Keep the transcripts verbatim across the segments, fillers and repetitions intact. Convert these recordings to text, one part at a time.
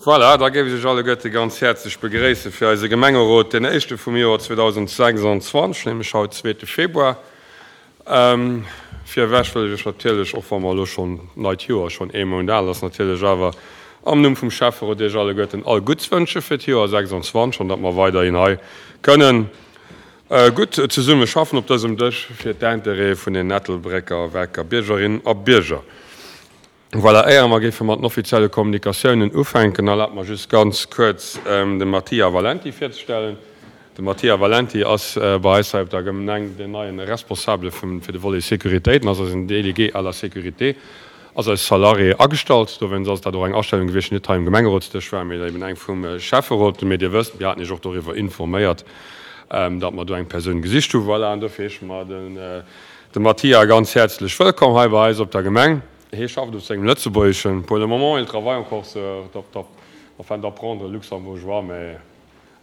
Voilà, da géif ech Iech alleguerte ganz häerzlech begréisse fir eise Gemengerot, deen éischte vum Joer zweedausendsechsundzwanzeg, nämlech haut, zweete Februar. Virewech wëll ech Iech natierlech, och wa mer elo schonn d'neit Joer schonn ee Mount al ass, natierlech awer am Numm vum Schäfferot Iech alleguerten all Gutts wënsche fir d'Joer sechsundzwanzeg an datt mer weiderhin hei kënnen gutt zesumme schaffen op dësem Dësch fir d'Intérêtë vun den Ettelbrécker, Wecker Biergerinnen a Bierger. Voilà, éier mer géife mat den offizielle Kommunikatiounen ufänken, erlaabt mer just ganz kuerz de Mattia Valenti virzestellen. De Mattia Valenti ass bei eis hei op der Gemeng den neien Responsabele fir de Volet Sécuritéit an ass eisen Délégué à la sécurité, ass als Salarié agestallt. Dowéinst ass dat och eng Astellung gewiescht, déi net hei um Gemengerotsdësch war, mee eben eng vum Schäfferot. Mee Dir wësst, mir haten Iech och doriwwer informéiert, datt mer do eng Persoun gesicht hunn. Voilà, an dofir heesche mer de Mattia ganz häerzlech wëllkomm hei bei eis op der Gemeng. Hie schafft op sengem Lëtzebuergeschen. Pour le moment, il travaille encore sur, enfin, d'apprendre le luxembourgeois, mais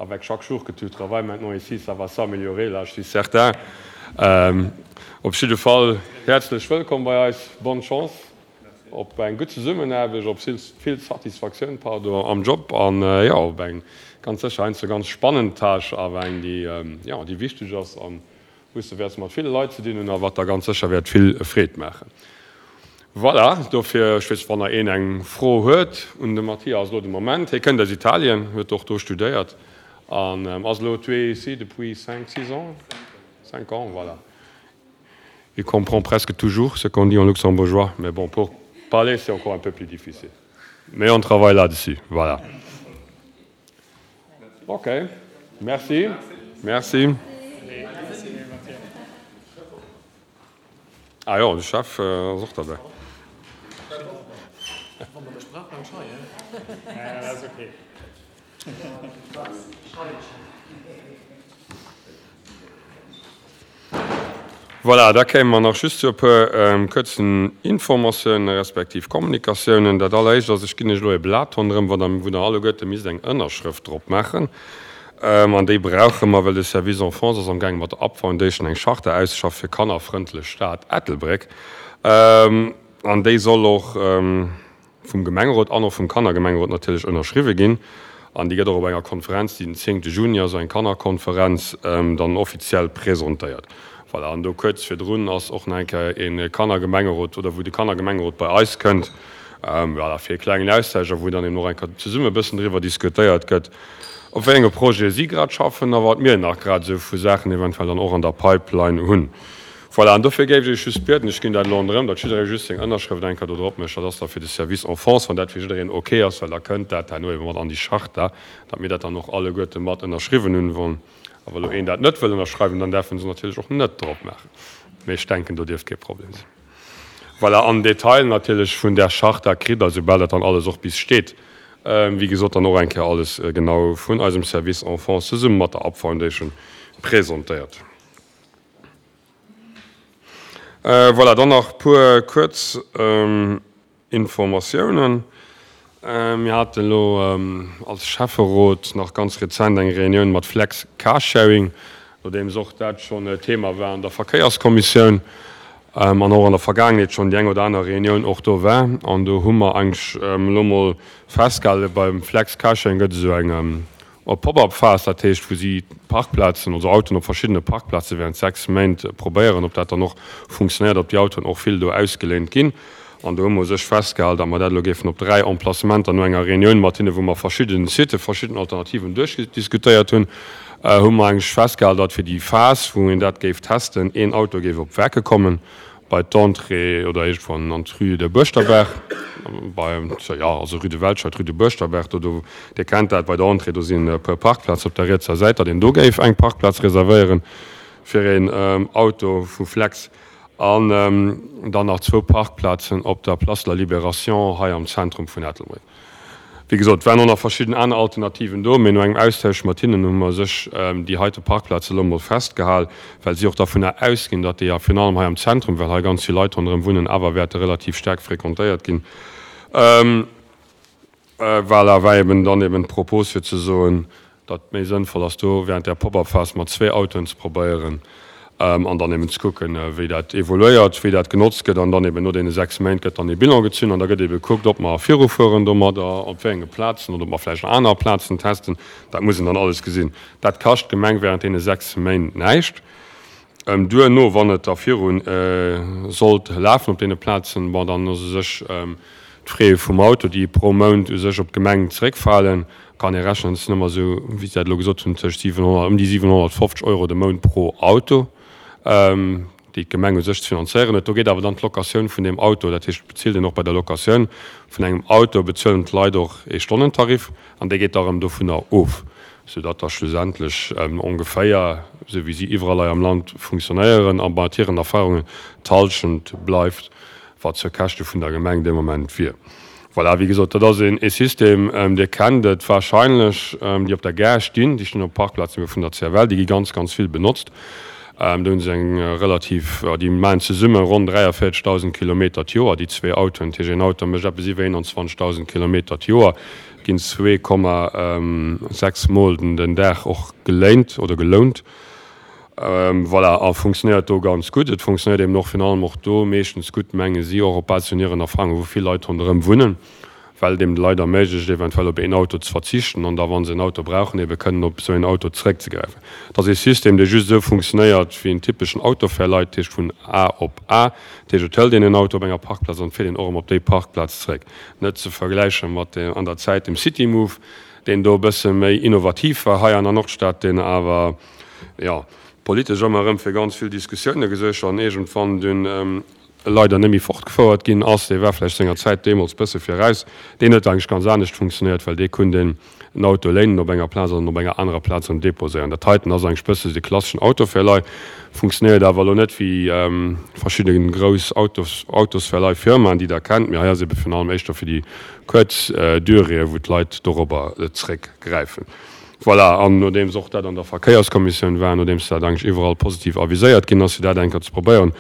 avec chaque jour que tu travailles maintenant ici, ça va s'améliorer, là, je suis certain. Op jidde Fall häerzlech wëllkomm bei eis, bonne chance, op eng gutt Zesummenaarbecht, op vill Satisfaktioun, pardon, am Job an, jo, op eng ganz sécher heiansdo ganz spannend Tâche, awer eng, déi, jo, déi wichteg ass an wou s de wäerts mat ville Leit ze dinn hunn a wat der ganz sécher wäert vill Freed maachen. Voilà, dofir, ech weess, wann nach een eng Fro huet un de Mattia, ass elo de Moment. Hie kënnt aus Italien, huet och do studéiert an ass elo, tu es ici depuis cinq, six ans? Cinq ans, voilà. Il comprend presque toujours ce qu'on dit en luxembourgeois, mais bon, pour parler, c'est encore un peu plus difficile. Mais on travaille là-dessus, voilà. Ok, merci. Merci. Ah jo, de Chef ass och derbäi. Voilà, da kéime mer nach just zu e puer kuerzen Informatiounen respektiv Kommunikatiounen. Dat alleréischt ass, ech ginn Iech elo e Blat ronderëm, wou der wou der alleguerte misst eng Ënnerschrëft drop maachen. An déi brauche mer, well de Service Enfance ass amgaange mat der Up Foundation eng Charte auszeschaffen fir kannerfrëndlech Stad Ettelbréck. An déi soll och vum Gemengerot an och vum Kannergemengerot natierlech ënnerschriwwe ginn. An déi gëtt och op enger Konferenz, déi den zéngte Juni ass, eng Kannerkonferenz, dann offiziell presentéiert. Voilà, an do kuerz virdrun ass och nach eng Kéier e Kannergemengerot, oder wou de Kannergemengerot bei eis kënnt, voilà, fir e klengen Austausch a wou dann eben och eng Kéier zesumme e bëssen driwwer diskutéiert gëtt, op wéi enge Projete si grad schaffen a wat mir nach grad esou vu Saachen eventuell dann och an der Pipeline hunn. Voilà, an dofir géif ech Iech just bieden, ech ginn dat elo erëm, datt jidderee just seng Ënnerschrëft eng Kéier do drop mécht, dat ass da fir de Service Enfance, wann dat fir jiddereen ok ass, well da kënnt dat herno ebe mat an déi Charta, datt mir dat dann och alleguerte mat ënnerschriwwen hunn. Wann awer elo een dat net wëll ënnerschreiwen, dann däerf en se natierlech och net drop maachen. Mee ech denken, do dierft kee Problem sinn. Voilà, an Detail natierlech vun där Charta kritt Der, soubal dat dann alles och bis steet, wéi gesot, dann och eng Kéier alles genau vun eisem Service Enfance zesumme mat der Up Foundation presentéiert. Voilà, dann nach e puer kuerz Informatiounen. Mir haten elo als Schäfferot nach ganz rezent eng Reunioun mat Flex Carsharing, nodeems och dat schonn e Thema war an der Verkéierskommissioun an och an der Vergaangenheet schonn déi eng oder aner Reunioun och do war. An do hu mer eigentlech elo mol festgehalen, beim Flex Carsharing gëtt esou eng Op Pop-up-Phas, dat heescht wou si Parkplazen, also Autoen op verschiddene Parkplaze während sechs Méint probéieren, ob dat dann och funktionéiert, ob déi Autoen och vill do ausgeléint ginn. An do hu mer u sech festgehal, datt mer dat elo géifen op dräi Emplacementer no enger Reunioun mat hinne, wou mer verschidde Sitë, verschidden Alternativen duerchdiskutéiert hunn, hu mer eigentlech festgehal, datt fir déi Phas, wou een dat géif testen, een Auto géif op Werke kommen, bei d'Entrée oder iergendwann an d'Rue de Buerschterberg, bei, jo, also Rue de Welscheid, Rue de Buerschterberg, do, do, Dir kennt dat, bei der Entrée, do sinn e puer Parkplazen op der rietser Säit, datt een do géif eng Parkplaz reservéieren fir een Auto vu Flex an dann nach zwou Parkplazen op der Place de la Libération hei am Zentrum vun Ettelbréck. Wéi gesot, et waren och nach verschidden aner Alternativen do, mee no engem Austausch mat hinnen hu mer sech déi heite Parkplaze elo mol festgehal, well si och dervunner ausginn, datt déi, a virun allem hei am Zentrum, well hei ganz vill Leit ronderëm wunnen, awer wäerte relativ staark fréquentéiert ginn. Voilà, war eben dann eben d'Propos fir ze soen, datt et méi sënnvoll ass, do während där Pop-up-Phas mat zwee Autoen ze probéieren An dann eben ze kucken, wéi dat evoluéiert, wéi dat genotzt gëtt. An dann eben no deene sechs Méint gëtt dann ee Bilan gezunn an da gëtt ebe gekuckt, ob mer virufueren domadder, op wéi enge Plazen oder ob mer vläicht nach aner Plazen testen. Dat muss een dann alles gesinn. Dat kascht d'Gemeng während deene sechs Méint näischt. Duerno, wann et da viru sollt lafen op deene Plazen, bon, dann ass u sech d'Frais vum Auto, déi pro Mount u sech op d'Gemeng zeréckfalen, kann ee rechnen, et sinn ëmmer esou, wéi se dat elo gesot hunn, tëscht siwenhonnert, ëm déi siwenhonnertfofzeg Euro de Mount pro Auto, déi d'Gemeng u sech ze finanzéieren huet. Do geet awer dann d'Locatioun vun deem Auto, dat heescht, et bezilt een och bei der Locatioun vun engem Auto, bezuelen d'Leit och ee Stonnentarif an dee geet da erëm dovunner of, soudatt da schlussendlech ongeféier, esou wéi si iwwerall hei am Land funktionéieren a mat hiren Erfahrungen, d'Hallschent bleift, wat zur Käschte vun der Gemeng dee Moment wier. Voilà, wéi gesot, dat ass een System, Dir kennt et wahrscheinlech, déi op der Gare stinn, déi stinn op Parkplazen vun der C F L, déi gi ganz, ganz vill benotzt. Do hu se eng relativ, déi maachen zesumme ronn dräiavéierzegdausend Kilometer d'Joer, déi zwee Autoen. Dat heescht, een Auto mécht eppes iwwer eenanzwanzegdausend Kilometer d'Joer, ginn zwee Komma sechs Mol den Dag och geléint oder gelount. Voilà, a funktionéiert do ganz gutt. Et funktionéiert eben och virun allem och do meeschtens gutt, menge si, och op Basis vun hiren Erfahrungen, wou vill Leit ronderëm wunnen, well et eben de Leit erméiglecht, eventuell op een Auto ze verzichten an da, wa se en Auto brauchen, ebe kënnen op esou een Auto zeréckzegräifen. Et ass ee System, dee just esou funktionéiert wéi en typeschen Autoverleih, dat heescht vun A op A. Dat heescht, et hëlt een en Auto op enger Parkplaz an et fiert een och erëm op déi Parkplaz zeréck. Net ze vergläiche mat an der Zäit dem City Move, deen do e bësse méi innovativ war hei an der Nordstad, deen awer, jo, politesch ëmmer erëm fir ganz vill Diskussioune gesuergt an iergendwann dunn leider net méi fortgefouert ginn ass. Dee war vläicht senger Zäit deemools bësse viraus. Deen huet eigentlech ganz anescht funktionéiert, well dee konnt een en Auto léinen op enger Plaz an op enger anerer Plaz erëm deposéieren. Dat heiten ass eigentlech bësse de klasseschen Autoverleih, funktionéiert awer elo net wéi verschidde grouss Autos, Autosverleihfirmaen, déi Der kennt, mee hei ass ebe virun allem éischter fir déi kuerz Duréeë wou d'Leit dorobber zréckgräifen. Voilà, an nodeems och dat an der Verkéierskommissioun war, nodeems dat eigentlech iwwerall positiv aviséiert ginn ass, fir dat eng Kéier ze probéieren,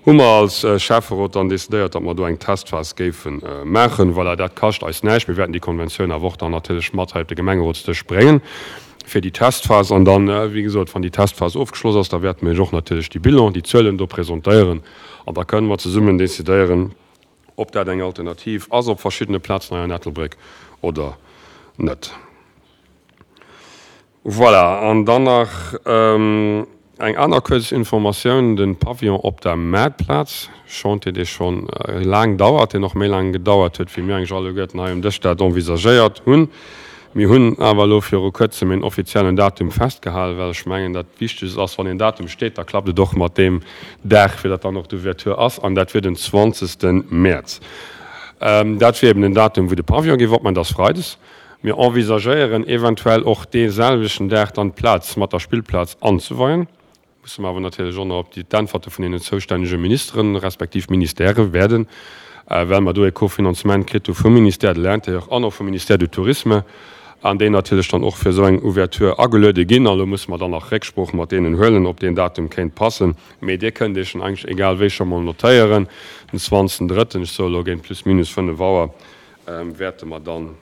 hu mer als Schäfferot dann decidéiert, datt mer do eng Testphas géife maachen. Voilà, dat kascht eis näischt. Mir wäerten déi Konventioun awer och dann natierlech mat hei op de Gemengerotsdësch bréngen fir déi Testphas. An dann, wéi gesot, wann déi Testphas ofgeschloss ass, da wäerte mir Iech och natierlech déi Bilan, déi Zuelen do presentéieren an da kënnen mer zesummen decidéieren, ob dat eng Alternativ ass op verschiddene Plazen hei an Ettelbréck oder net. Voilà, an dann nach eng aner kuerz Informatioun, De Pavillon op der Maartplaz, Chantier, dee scho laang dauert, deen och méi laang gedauert huet, wéi mir eigentlech alleguerten hei um Dësch dat envisagéiert hunn. Mir hunn awer elo viru Kuerzem een offiziellen Datum festgehalen, well ech mengen, dat Wichtegst ass, wann een Datum steet, da klappt et och mat deem Dag, fir datt dann och d'Ouverture ass, an dat wier den zwanzegste Mäerz. Dat wier eben den Datum, wou de Pavillon géif opmachen, dat ass freides. Mir envisagéieren eventuell och dee selwechten Dag dann d'Plaz mat der Spillplaz anzeweien. Musse mer awer natierlech och nach op déi d'Äntwerte vun deenen zoustännege Ministeren, respektiv Ministèrë waarden, well mer do e Kofinanzement kritt hu vum Ministère de l'Intérieur an och vum Ministère du Tourisme, an déi natierlech dann och fir esou eng Ouverture ageluede ginn. An elo musse mer dann nach Récksprooch mat deenen huelen, ob deen Datum kéint passen. Mee Dir kënnt Iech en eigentlech egal wéi scho mol notéieren, den zwanzegsten drëtten, ech soe elo géint plus minus fënnef Auer, wäerte mer dann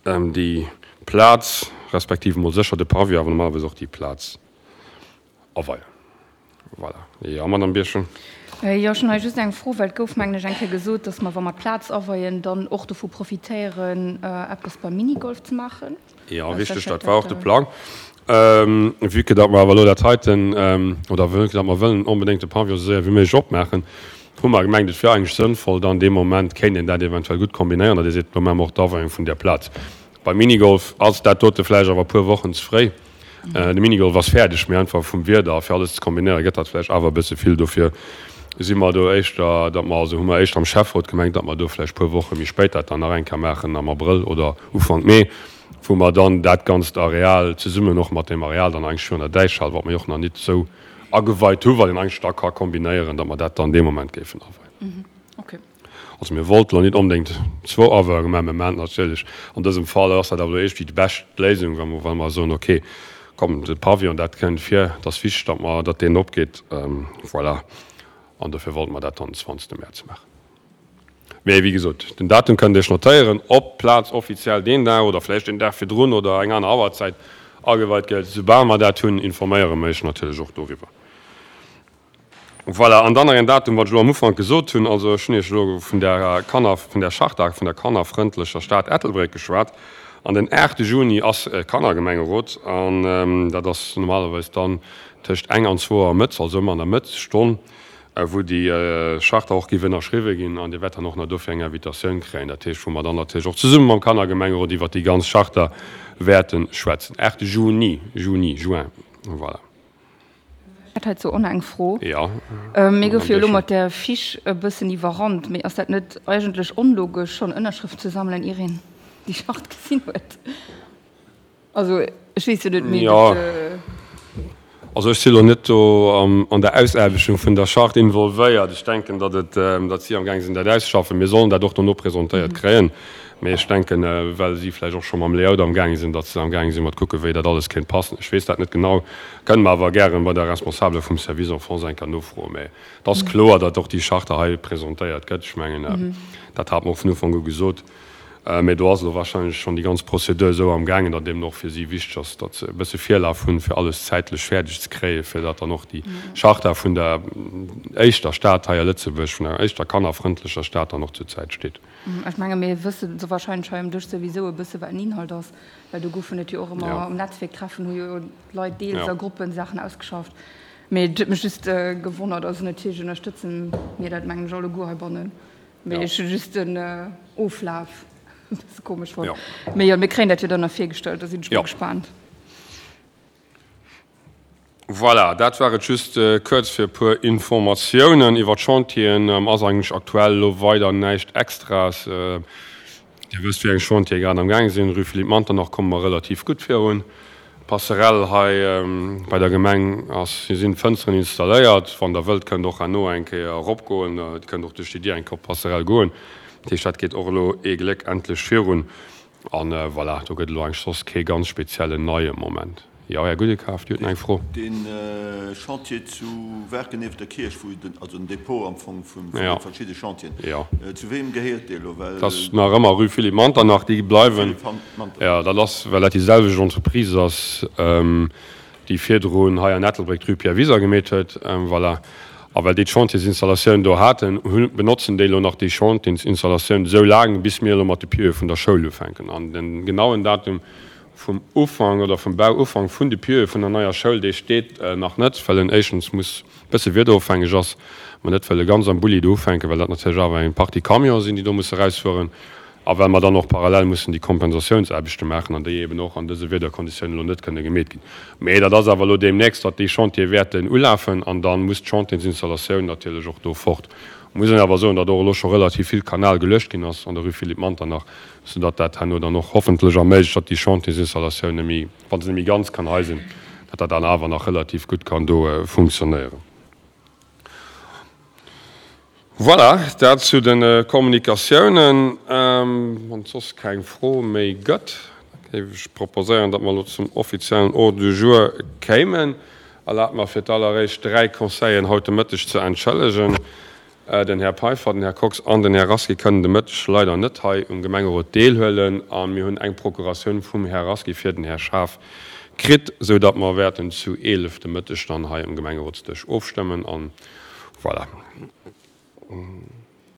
déi Plaz, respektiv emol sécher de Pavillon, awer normalerweis och déi Plaz aweien. Voilà. Jo, Madame Birchen. Jo, ech hunn hei just eng Fro, well et gouf, mengen ech, eng Kéier gesot, dass mer, wa mer d'Plaz aweien, dann och dovu profitéieren, eppes beim Minigolf ze maachen. Jo, richteg, dat war och de Plang. Vue que datt mer awer elo dat heiten, oder vue que datt mer wëllen onbedéngt de Pavillon esou séier wéi méiglech opmaachen, hu mer gemengt, et wier eigentlech sënnvoll, dann dee Moment kéint een dat eventuell gutt kombinéieren, datt ee seet, lo maache mer och d'Aweiung vun där Plaz. Beim Minigolf ass dat dote vläicht awer e puer Wochen ze fréi. De Minigolf ass fäerdeg, mee einfach vum Wieder a fir alles ze kombinéieren, gëtt dat vläicht awer e bësse vill. Dofir si mer do éischter, datt mer, also hu mer éischter am Schäfferot gemengt, datt mer do vläicht e puer Woche méi spéit dat dann nach eng Kéier maachen, am Abrëll oder Ufank Mee, wou mer dann dat ganzt Areal zesummen och mat deem Areal dann eigentlech virun der Däichhal, wat mer jo och nach nit esou ageweit hu, wat een eigentlech da ka kombinéieren, datt mer dat dann dee Moment géifen aweien. Also mir wollten elo nit onbedéngt zwou Aweiunge maachen, mä maachen natierlech an dësem Fall ass dat awer elo iergendwéi déi bescht Léisung, wa mer, wa mer soen, okay, komm, de Pavillon, dat kënnt vir, et ass wichteg, datt mer, datt deen opgeet, voilà. An dofir wollte mer dat dann den zwanzegste Mäerz maachen. Mee wéi gesot, den Datum kënnt Dir Iech notéieren, ob d'Plaz offiziell deen Dag oder vläicht den Dag virdrun oder eng aner Auerzäit ageweit gëtt. Soubal mer dat hunn, informéiere mer Iech natierlech och doriwwer. Voilà, an dann nach en Datum, wat ech elo am Ufank gesot hunn, also ech hunn Iech elo vun der Kanner, vun der Charta vun der kannerfrëndlecher Stad Ettelbréck geschwat. An den aachte Juni ass e Kannergemengerot an dat ass normalerweis dann tëscht eng an zwou Auer mëtts, also ëmmer an der Mëttesstonn, wou déi Charta och géif ënnerschriwwe ginn. An Dir wäert dann och nach dofir eng Invitatioun kréien, dat heescht, wou mer dann natierlech och zesumme mam Kannergemengerot iwwert déi ganz Charta wäerte schwätzen. Aachte Juni, Juni, Juin, voilà. Ech hätt heizou och nach eng Fro. Jo, Mir Madame goufe jo elo Dechen. mat där Fiche e bëssen iwwerrannt, mee ass dat net eigentlech onlogesch, schonn Ënnerschrëften ze sammelen, ier een déi Charte gesinn huet? Also ech weess jo net, mee Jo, dat. also ech si lo net do an der Ausaarbechtung vun der Charte involvéiert. Ech denken, datt et, datt si amgaang sinn, dat auszeschaffen. Mir sollen dat och dono presentéiert kréien. Mee ech denken, well si vläicht och scho mam Layout amgaange sinn, datt se amgaange sinn mat kucken, wéi dat alles kéint passen. Ech weess dat net genau, kënne mer awer gären bei der Responsabele vum Service Enfance eng Kéier nofroen. Mee et ass kloer, datt och déi Charte hei presentéiert gëtt. Ech mengen, dat hate mer och vun Ufank u gesot. Mee do ass elo wahrscheinlech schonn déi ganz Prozedur esou amgaangen, datt eben och fir si wichteg ass, datt se e bësse Virlaf hunn, fir alles zäitlech fäerdeg ze kréien, fir datt dann och déi Charta vun der éischter Stad hei a Lëtzebuerg, vun der éischter kannerfrëndlecher Stad dann och zur Zäit steet. Ech menge mir wësse se wahrscheinlech hei um Dësch souwisou e bësse wat den Inhalt ass, well do goufen et jo och ëmmer Ja. um Netzwierktreffen hu jo d'Leit deels Ja. a Gruppen Saachen ausgeschafft. Mee et huet mech just gewonnert. Also natierlech ënnerstëtze mir dat mengen ech alleguer heibannen, mee Ja. ech hu just den Oflaf e bësse komesch fonnt. Ja. Mee jo, mir kréien dat jo dann nach virgestallt, da sinn ech mol Ja. gespaant. Voilà, dat war et just kuerz fir e puer Informatiounen iwwer d'Chantieren. Ass eigentlech aktuell elo weider näischt Extraes. Dir wësst, wéi eng Chantiere grad am gaange sinn. Rue Philippe Manternach komme mer relativ gutt virun. D'Passerelle hei bei der Gemeng ass, sinn d'Fënsteren installéiert. Wann Der wëllt, kënnt Der och herno eng Kéier eropgoen. Dir kënnt och duerch déi Dier eng Kéier op d'Passerelle goen. Dat heescht, dat geet och elo ee Gléck endlech virun. An voilà, do gëtt elo eigentlech soss kee ganz speziellen neie Moment. Jo, Här Gudekaf, Dir hutt nach eng Fro. Dee Chantier zu Waarken nieft der Kierch, wou den, also den Depot am Fong vun de Ja. verschidde Chantieren, Ja. zu weem gehéiert dee elo? Well. Dat ass nach ëmmer Rue Philippe Manternach, déi bleiwen. Philippe Manternach. Jo, dat ass, well dat déi selwecht Entreprise ass, déi virdrun hei an Ettelbréck d'Rue Pierre Wiser gemeet huet. Voilà. A well déi d'Chantiersinstallatioun do haten, hu, benotzen déi elo nach déi Chantiersinstallatioun esou laang, bis mir elo mat de Pieuxe vun der Schoul ufänken. An den genauen Datum vum Ufank oder vum Bauufank vun de Pieuxe vun der neier Schoul, dee steet nach net, well en éischtens muss e bësse wiederofhängeg ass, mer net wëlle ganz am Bulli do ufänken, well dat natierlech awer eng Partie Camionen sinn, déi do musse erausfueren, a well mer dann och parallel mussen déi Kompensatiounsaarbechte maachen an déi eben och an dëse Wiederkonditiounen elo net kënne gemeet ginn. Mee dat ass awer elo deemnächst, datt déi Chantiere wäerten ulafen an da muss d'Chantiersinstallatioun natierlech och do fort. Muss een awer soen, datt och elo scho relativ vill Kanal geluecht ginn ass an der Rue Philippe Manternach, soudatt dat herno dann och hoffentlech erméiglecht, datt déi Chantiersinstallatioun net méi, wa se net méi ganz kann hei sinn, datt dat dann awer nach relativ gutt kann do funktionéieren. Voilà, dat zu de Kommunikatiounen. Wann et soss keng Fro méi gëtt, da géif ech proposéieren, datt mer elo zum offiziellen Ordre du jour kéimen. Erlaabt mer fir d'alleréischt dräi Conseilleren haut de Mëtteg ze entschëllegen. Den Här Peiffer, den Här Kox an den Här Rasqui kënnen de Mëtteg leider net hei um Gemengerot deelhuelen a mir hunn eng Procuratioun vum Här Rasqui fir den Här Schaaf kritt, sou datt mer wäerten zu eelef de Mëtteg dann hei um Gemengerotsdësch ofstëmmen. An voilà.